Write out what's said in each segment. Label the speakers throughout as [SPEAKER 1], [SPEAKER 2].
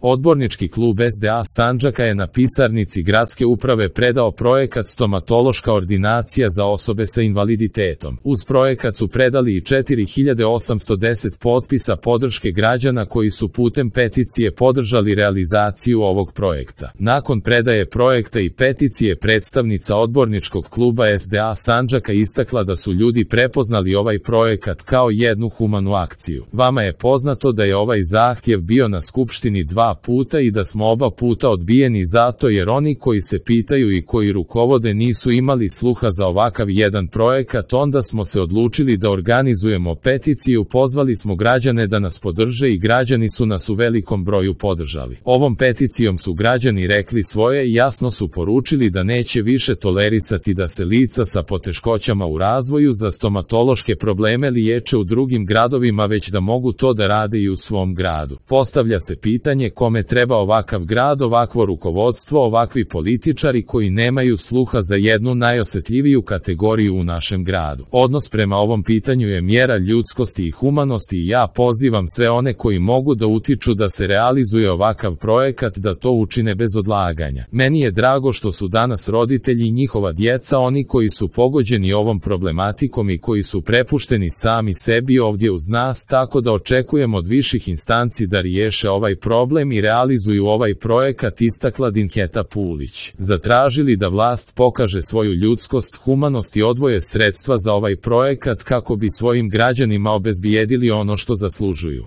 [SPEAKER 1] Odbornički klub SDA Sandžaka je na pisarnici gradske uprave predao projekat Stomatološka ordinacija za osobe sa invaliditetom. Uz projekat su predali i 4810 potpisa podrške građana koji su putem peticije podržali realizaciju ovog projekta. Nakon predaje projekta i peticije predstavnica odborničkog kluba SDA Sandžaka istakla da su ljudi prepoznali ovaj projekat kao jednu humanu akciju. Vama je poznato da je ovaj zahtjev bio na skupštini 2 puta i da smo oba puta odbijeni zato jer oni koji se pitaju i koji rukovode nisu imali sluha za ovakav jedan projekat. Onda smo se odlučili da organizujemo peticiju, pozvali smo građane da nas podrže i građani su nas u velikom broju podržali. Ovom peticijom su građani rekli svoje i jasno su poručili da neće više tolerisati da se lica sa poteškoćama u razvoju za stomatološke probleme liječe u drugim gradovima, već da mogu to da rade i u svom gradu. Postavlja se pitanje kome treba ovakav grad, ovakvo rukovodstvo, ovakvi političari koji nemaju sluha za jednu najosjetljiviju kategoriju u našem gradu. Odnos prema ovom pitanju je mjera ljudskosti i humanosti i ja pozivam sve one koji mogu da utiču da se realizuje ovakav projekat da to učine bez odlaganja. Meni je drago što su danas roditelji i njihova djeca oni koji su pogođeni ovom problematikom i koji su prepušteni sami sebi ovdje uz nas, tako da očekujemo od viših instanci da riješe ovaj problem i realizuju ovaj projekat, istakla Dinketa Pulić. Zatražili da vlast pokaže svoju ljudskost, humanost i odvoje sredstva za ovaj projekat kako bi svojim građanima obezbijedili ono što zaslužuju.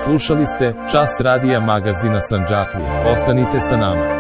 [SPEAKER 1] Slušali ste Čas radija magazina Sandžaklija. Ostanite sa nama.